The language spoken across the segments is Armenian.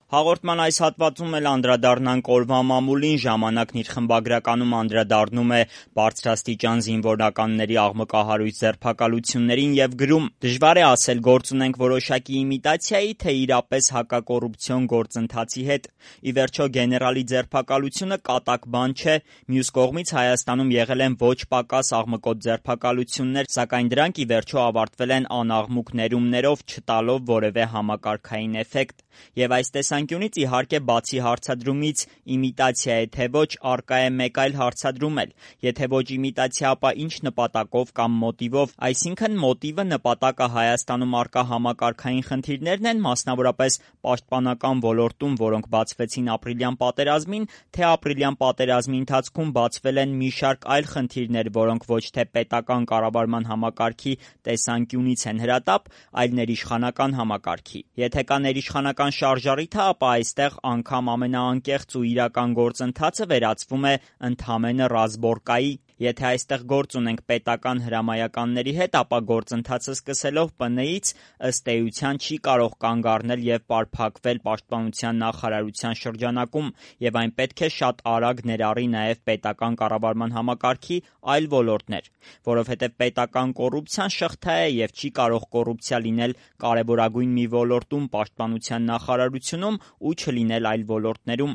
Հաղորդման այս հատվածում էլ անդրադառնանք օրվա մամուլին, ժամանակն իր խմբագրականում անդրադառնում է բարձրաստիճան զինվորականների աղմկահարույց ձերբակալություններին եւ գրում. «Դժվար է ասել գործ ունենք որոշակի իմիտացիայի, թե իրապես հակակոռուպցիոն գործընթացի հետ։ Ի վերջո գեներալի ձերբակալությունը կատակ բան չէ, մյուս կողմից Հայաստանում եղել են ոչ պակաս աղմկոտ ձերբակալություններ, սակայն դրանք ի վերջո ավարտվել են անաղմուկ ներումներով, չտալով որևէ համակարգային էֆեկտ։ Եվ այս տեսանկյունից իհարկե բացի հարցադրումից իմիտացիա է թե ոչ, առկա է մեկ այլ հարցադրում էլ. եթե ոչ իմիտացիա, ապա ինչ նպատակով կամ մոտիվով, այսինքն մոտիվը, նպատակը Հայաստանում առկա համակարգային խնդիրներն են, մասնավորապես պաշտպանական ոլորտում, որոնք բացվեցին ապրիլյան պատերազմին, թե ապրիլյան պատերազմի ընթացքում բացվել են մի շարք այլ խնդիրներ, որոնք ոչ թե պետական կառավարման համակարգի տեսանկյունից են հրատապ, այլ ներիշխանական համակարգի։ Եթե կա ներիշխանական շարժառիթը, ապա այստեղ անգամ ամենաանկեղծ ու իրական գործընթացը վերածվում է ընդամենը ռազմորկայի։ Եթե այստեղ գործ ունենք պետական հրամայականների հետ, ապա գործընթացը սկսելով ՊՆ-ից ըստ էության չի կարող կանգ առնել եւ պարփակվել պաշտպանության նախարարության շրջանակում, եւ այն պետք է շատ արագ ներառի նաեւ պետական կառավարման համակարգի այլ ոլորտներ, որովհետեւ պետական կոռուպցիան շղթա է եւ չի կարող կոռուպցիա լինել կարեւորագույն մի ոլորտում պաշտպանության նախարարությունում ու չլինել այլ ոլորտներում։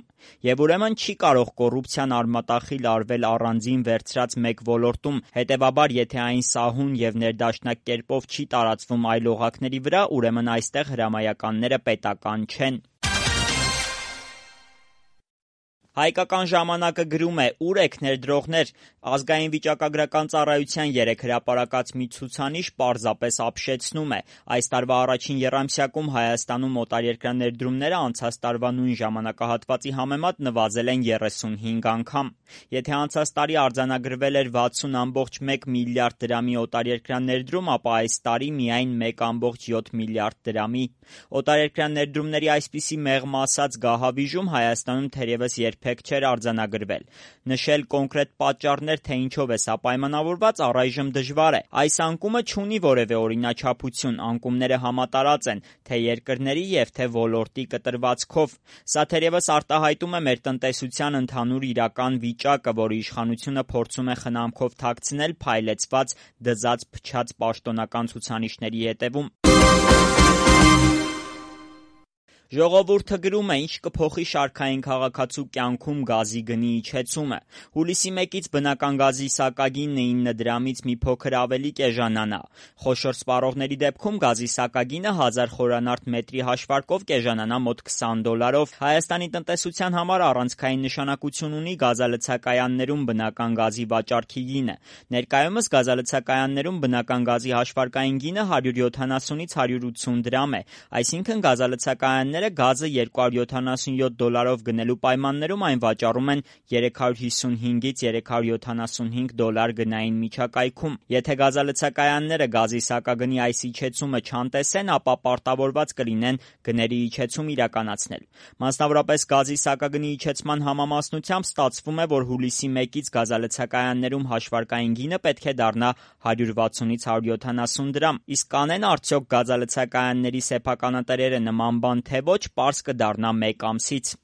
Եվ ուրեմն չի կարող կոռուպցիան արմատախիլ արվել առանձին վերցրած մեկ ոլորտում, հետևաբար եթե այն սահուն եւ ներդաշնակ կերպով չի տարածվում այլ օղակների վրա, ուրեմն այստեղ հրամայականները պետական չեն»։ Հայկական ժամանակը գրում է. «Ուր եք ներդրողներ, ազգային վիճակագրական ծառայության 3 հրապարակած մի ցուցանիշ պարզապես ապշեցնում է. այս տարվա առաջին եռամսյակում Հայաստանում օտարերկրյա ներդրումները անցած տարվա նույն ժամանակահատվածի համեմատ նվազել են 35 անգամ։ Եթե անցած տարի արձանագրվել էր 60.1 միլիարդ դրամի օտարերկրյա ներդրում, ապա այս տարի միայն 1.7 միլիարդ դրամի։ Օտարերկրյա ներդրումների այսպիսի մեղմ ասած գահավիժում Հայաստանում թերևս երբեք չէր արձանագրվել։ Նշել կոնկրետ պատճառներ, թե ինչով է սա պայմանավորված, առայժմ դժվար է։ Այս անկումը չունի որևէ օրինաչափություն, անկումները համատարած են թե երկրների եւ թե ոլորտի կտրվածքով։ Սա թերևս արտահայտում է մեր տնտեսության ընդհանուր իրական վիճակը, որի իշխանությունը փորձում է խնամքով թաքցնել փայլեցված, դզած, փչած պաշտոնական ցուցանիշների հետևում։ Ժողովուրդը գրում է. «Ինչ կփոխի շարքային քաղաքացու կյանքում գազի գնի իջեցումը։ Հուլիսի 1-ից բնական գազի սակագինը 9 դրամից մի փոքր ավելի կեժանանա։ Խոշոր սպառողների դեպքում գազի սակագինը 1000 խորանարդ մետրի հաշվարկով կեժանանա մոտ $20։ Հայաստանի տնտեսության համար առանցքային նշանակություն ունի գազալցակայաններում բնական գազի վաճառքի գինը։ Ներկայումս գազալցակայաններում բնական գազի հաշվարկային գինը 170-ից 180 դրամ է, այսինքն գազալցակայանները գազը $277 գնելու պայմաններում այն վաճառում են $355-ից $375 գնային միջակայքում։ Եթե գազալցակայանները գազի սակագնի այս իջեցումը չանտեսեն, ապա պարտավորված կլինեն գների իջեցում իրականացնել։ Մասնավորապես գազի սակագնի իջեցման համամասնությամբ ստացվում է, որ հուլիսի 1-ից գազալցակայաններում հաշվարկային գինը պետք է դառնա 160-ից 170 դրամ։ Իսկ կանեն արդյոք գազալցակայանների սեփականատերերը նման բան, թե ոչ, պարզ կդառնա մեկ ամսից»։